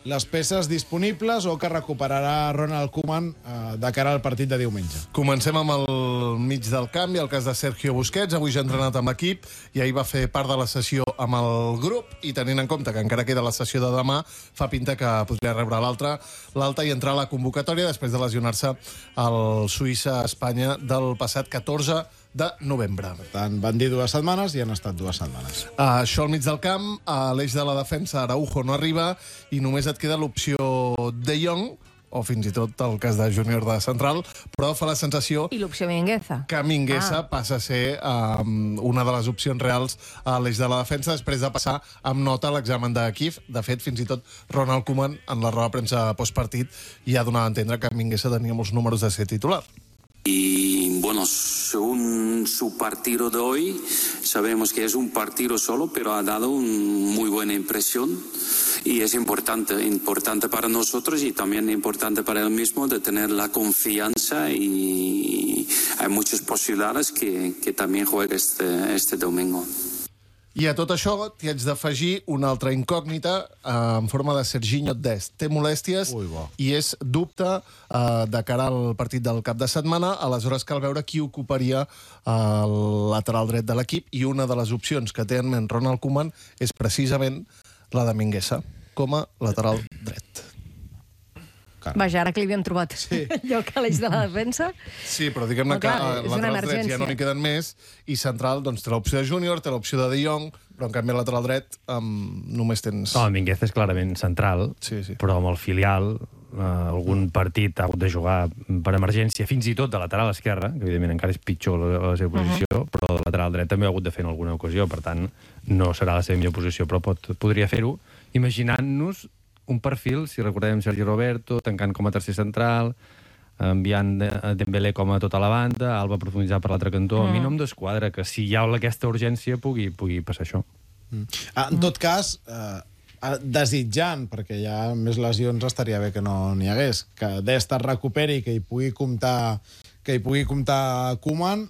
les peces disponibles o que recuperarà Ronald Koeman de cara al partit de diumenge? Comencem amb el mig del camp i el cas de Sergio Busquets. Avui ja ha entrenat amb l'equip i ahir va fer part de la sessió amb el grup i tenint en compte que encara queda la sessió de demà, fa pinta que podria rebre l'alta i entrar a la convocatòria després de lesionar-se al Suïssa-Espanya del passat 14 de novembre. Per tant, van dir 2 setmanes i han estat 2 setmanes. Això al mig del camp, a l'eix de la defensa, Araujo no arriba i només et queda l'opció De Jong, o fins i tot el cas de Júnior de central, però fa la sensació... I l'opció Mingueza. Que Mingueza passa a ser una de les opcions reals a l'eix de la defensa després de passar amb nota a l'examen de Kiev. De fet, fins i tot Ronald Koeman, en la roda de premsa postpartit, ja donava a entendre que Mingueza tenia molts números de ser titular. Y bueno, según su partido de hoy, sabemos que es un partido solo, pero ha dado una muy buena impresión y es importante para nosotros y también importante para él mismo de tener la confianza y hay muchas posibilidades que también juegue este domingo. I a tot això t'hi haig d'afegir una altra incògnita en forma de Serginho Dest. Té molèsties i és dubte de cara al partit del cap de setmana. Aleshores cal veure qui ocuparia el lateral dret de l'equip i una de les opcions que té en ment Ronald Koeman és precisament la de Mingueza com a lateral dret. Vaja, ara que li havien trobat lloc a l'eix de la defensa... Sí, però diguem-ne que laterals drets ja no n'hi queden més i central doncs, té l'opció de Júnior, té l'opció de Jong, però en canvi lateral dret només tens... No, Mingueza és clarament central, però amb el filial algun partit ha hagut de jugar per emergència, fins i tot de lateral esquerra, que evidentment encara és pitjor la seva posició, però de lateral dret també ha hagut de fer en alguna ocasió, per tant no serà la seva millor posició, però podria fer-ho imaginant-nos un perfil, si recordem Sergi Roberto, tancant com a tercer central, enviant Dembélé com a tota la banda, Alba profunditzar per l'altre cantó. A mi no em desquadra que si hi ha aquesta urgència pugui passar això. En tot cas, desitjant, perquè hi ha més lesions, estaria bé que no n'hi hagués, que Dest es recuperi, que hi pugui comptar Koeman.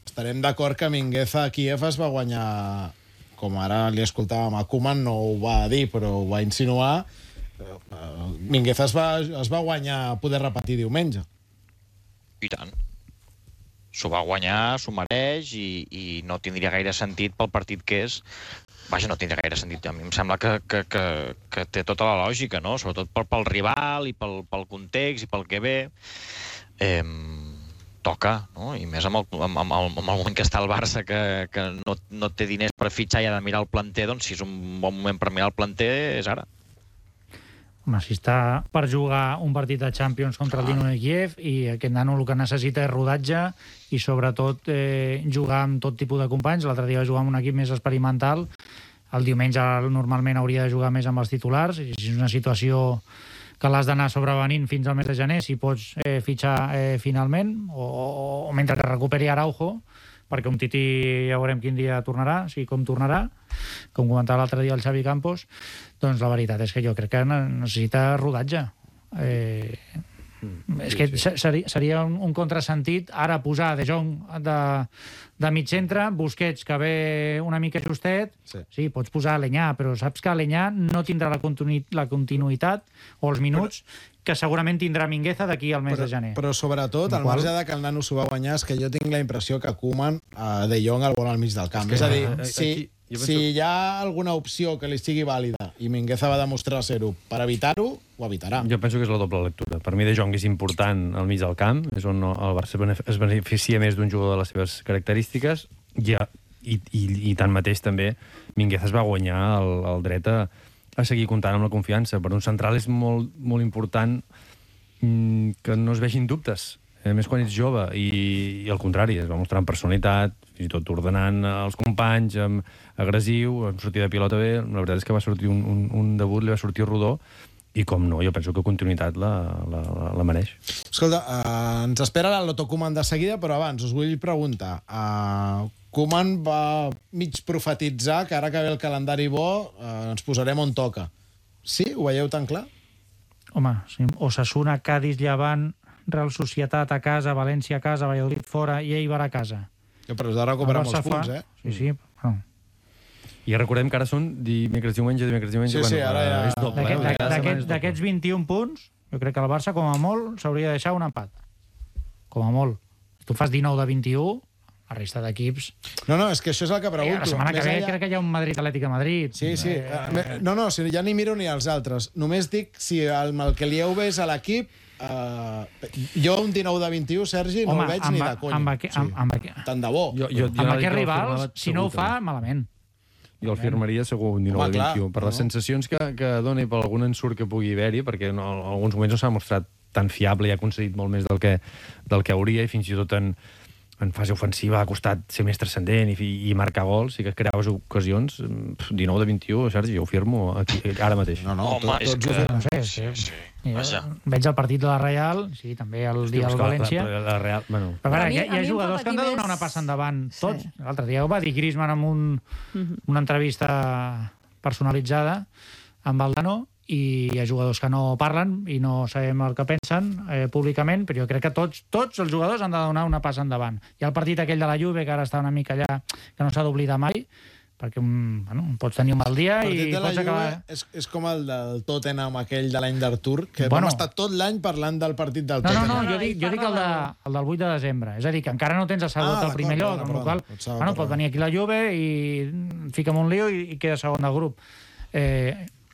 Estarem d'acord que Mingueza a Kiev es va guanyar, com ara li escoltàvem a Koeman, no ho va dir, però ho va insinuar. Mingueza es va guanyar poder repetir diumenge. I tant. S'ho va guanyar, s'ho mereix i no tindria gaire sentit pel partit que és. Vaja, no tindria gaire sentit. A mi em sembla que té tota la lògica, no? Sobretot pel rival i pel context i pel que ve. Toca, no? I més amb el moment que està el Barça, que no té diners per fitxar i ha de mirar el planter, doncs si és un bon moment per mirar el planter, és ara. Home, si està per jugar un partit de Champions contra el Dinamo de Kiev i aquest nano el que necessita és rodatge i sobretot jugar amb tot tipus de companys. L'altre dia va jugar amb un equip més experimental. El diumenge normalment hauria de jugar més amb els titulars. I si és una situació que l'has d'anar sobrevenint fins al mes de gener, si pots fitxar finalment, o mentre que recuperi Araujo, perquè un Titi ja veurem quin dia tornarà, si com tornarà, com comentava l'altre dia el Xavi Campos, doncs la veritat és que jo crec que necessita rodatge. És que seria un contrasentit ara posar De Jong de mig centre, Busquets que ve una mica justet, sí, pots posar Aleñà, però saps que Aleñà no tindrà la continuïtat o els minuts que segurament tindrà Mingueza d'aquí al mes de gener. Però sobretot, al marge de que el nano s'ho va guanyar, és que jo tinc la impressió que Koeman De Jong el vol al mig del camp. És a dir, si hi ha alguna opció que li sigui vàlida i Mingueza va demostrar ser-ho per evitar-ho, ho evitarà. Jo penso que és la doble lectura. Per mi De Jong és important al mig del camp, és on el Barça es beneficia més d'un jugador de les seves característiques i tanmateix també Mingueza es va guanyar el dret a seguir comptant amb la confiança. Per un central és molt, molt important que no es vegin dubtes, més quan ets jove, i al contrari, es va mostrar amb personalitat, fins i tot ordenant els companys, agressiu, amb sortida de pilota bé. La veritat és que va sortir un debut, li va sortir rodó, i com no, jo penso que continuïtat la mereix. Escolta, ens espera la Loto Koeman de seguida, però abans us vull preguntar. Koeman va mig profetitzar que ara que ve el calendari bo ens posarem on toca. Sí? Ho veieu tan clar? Home, sí. Osasuna, Cádiz, Llevant, Real Societat a casa, València a casa, Valladolid fora i Eibar a casa. Però has de recuperar molts punts, eh? Sí, però... I recordem que ara són dimecres, diumenge, Sí, ara ja... és doble. D'aquests 21 punts, jo crec que el Barça, com a molt, s'hauria de deixar un empat. Com a molt. Si tu fas 19 de 21, la resta d'equips... No, és que això és el que pregunto. La setmana que ve crec que hi ha un Madrid-Atlètic a Madrid. Sí. No, si ja ni miro ni els altres. Només dic si el que li heu vist a l'equip... jo un 19 de 21, Sergi, no el veig ni de conya. Tant de bo. Amb aquests rivals, si no ho fa, malament. Jo el firmaria segur un 19 de 21, per les sensacions que dona i per algun ensurt que pugui haver-hi, perquè en alguns moments no s'ha mostrat tan fiable i ha aconseguit molt més del que hauria, i fins i tot en fase ofensiva ha costat ser més transcendent i marcar gols, i que creaves ocasions. 19 de 21, Sergi, jo ho firmo aquí, ara mateix. Home, és que... No sé, sí. Veig el partit de la Real, sí, també el dia del València. La Real, bueno... Però hi ha jugadors que han de donar una passa endavant, tots. L'altre dia ho va dir Griezmann en una entrevista personalitzada amb Valdano, i hi ha jugadors que no parlen i no sabem el que pensen públicament, però jo crec que tots els jugadors han de donar una passa endavant. Hi ha el partit aquell de la Juve, que ara està una mica allà, que no s'ha d'oblidar mai, perquè pots tenir un mal dia i pots acabar... És com el del Tottenham, aquell de l'any d'Artur, que vam estar tot l'any parlant del partit del Tottenham. No, jo dic el del 8 de desembre. És a dir, que encara no tens assegut al primer lloc, amb la qual cosa pot venir aquí la Juve i fica'm un lío i queda segon del grup.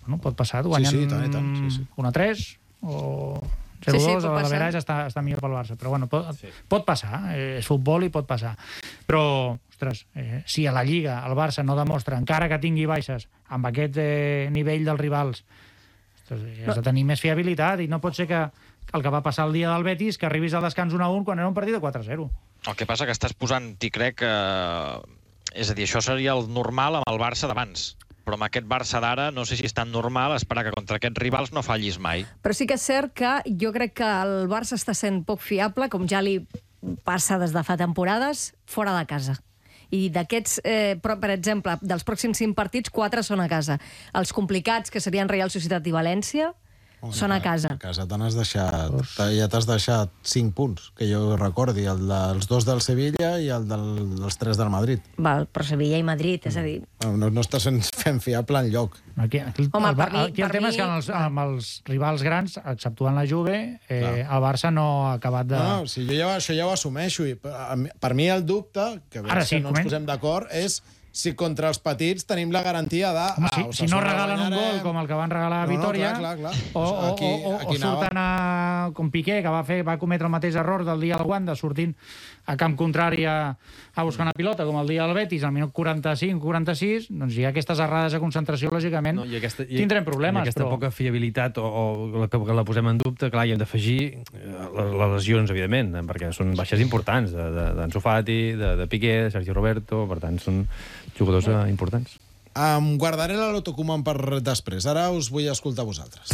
Pot passar, guanyant 1-3 o 0-2, a l'average està millor pel Barça. Però pot passar, és futbol i pot passar. Però, ostres, si a la Lliga el Barça no demostra, encara que tingui baixes, amb aquest nivell dels rivals, has de tenir més fiabilitat, i no pot ser que el que va passar el dia del Betis, que arribis al descans 1-1 quan era un partit de 4-0. El que passa que estàs posant, t'hi crec, és a dir, això seria el normal amb el Barça d'abans. Però amb aquest Barça d'ara no sé si és tan normal esperar que contra aquests rivals no fallis mai. Però sí que és cert que jo crec que el Barça està sent poc fiable, com ja li passa des de fa temporades, fora de casa. I d'aquests, per exemple, dels pròxims 5 partits, 4 són a casa. Els complicats, que serien Real Societat i València, són a casa. A casa ja t'has deixat 5 punts, que jo recordi, els 2 del Sevilla i els 3 del Madrid. Val, però Sevilla i Madrid, és a dir... No estàs fent fiable enlloc. Aquí el tema és que amb els rivals grans, exceptuant la Juve, el Barça no ha acabat de... No, això ja ho assumeixo. Per mi el dubte, que no ens posem d'acord, és si contra els petits tenim la garantia de... Si no regalen un gol com el que van regalar a Vitòria, o surten com Piqué, que va cometre el mateix error del dia del Wanda, sortint a camp contrari a buscar una pilota, com el dia del Betis, al minut 45-46, doncs hi ha aquestes errades de concentració, lògicament, tindrem problemes. I aquesta poca fiabilitat, o que la posem en dubte, clar, hi hem d'afegir les lesions, evidentment, perquè són baixes importants, d'Ansu Fati, de Piqué, de Sergio Roberto, per tant, són jugadors importants. Em guardaré la Loto Koeman per després. Ara us vull escoltar vosaltres.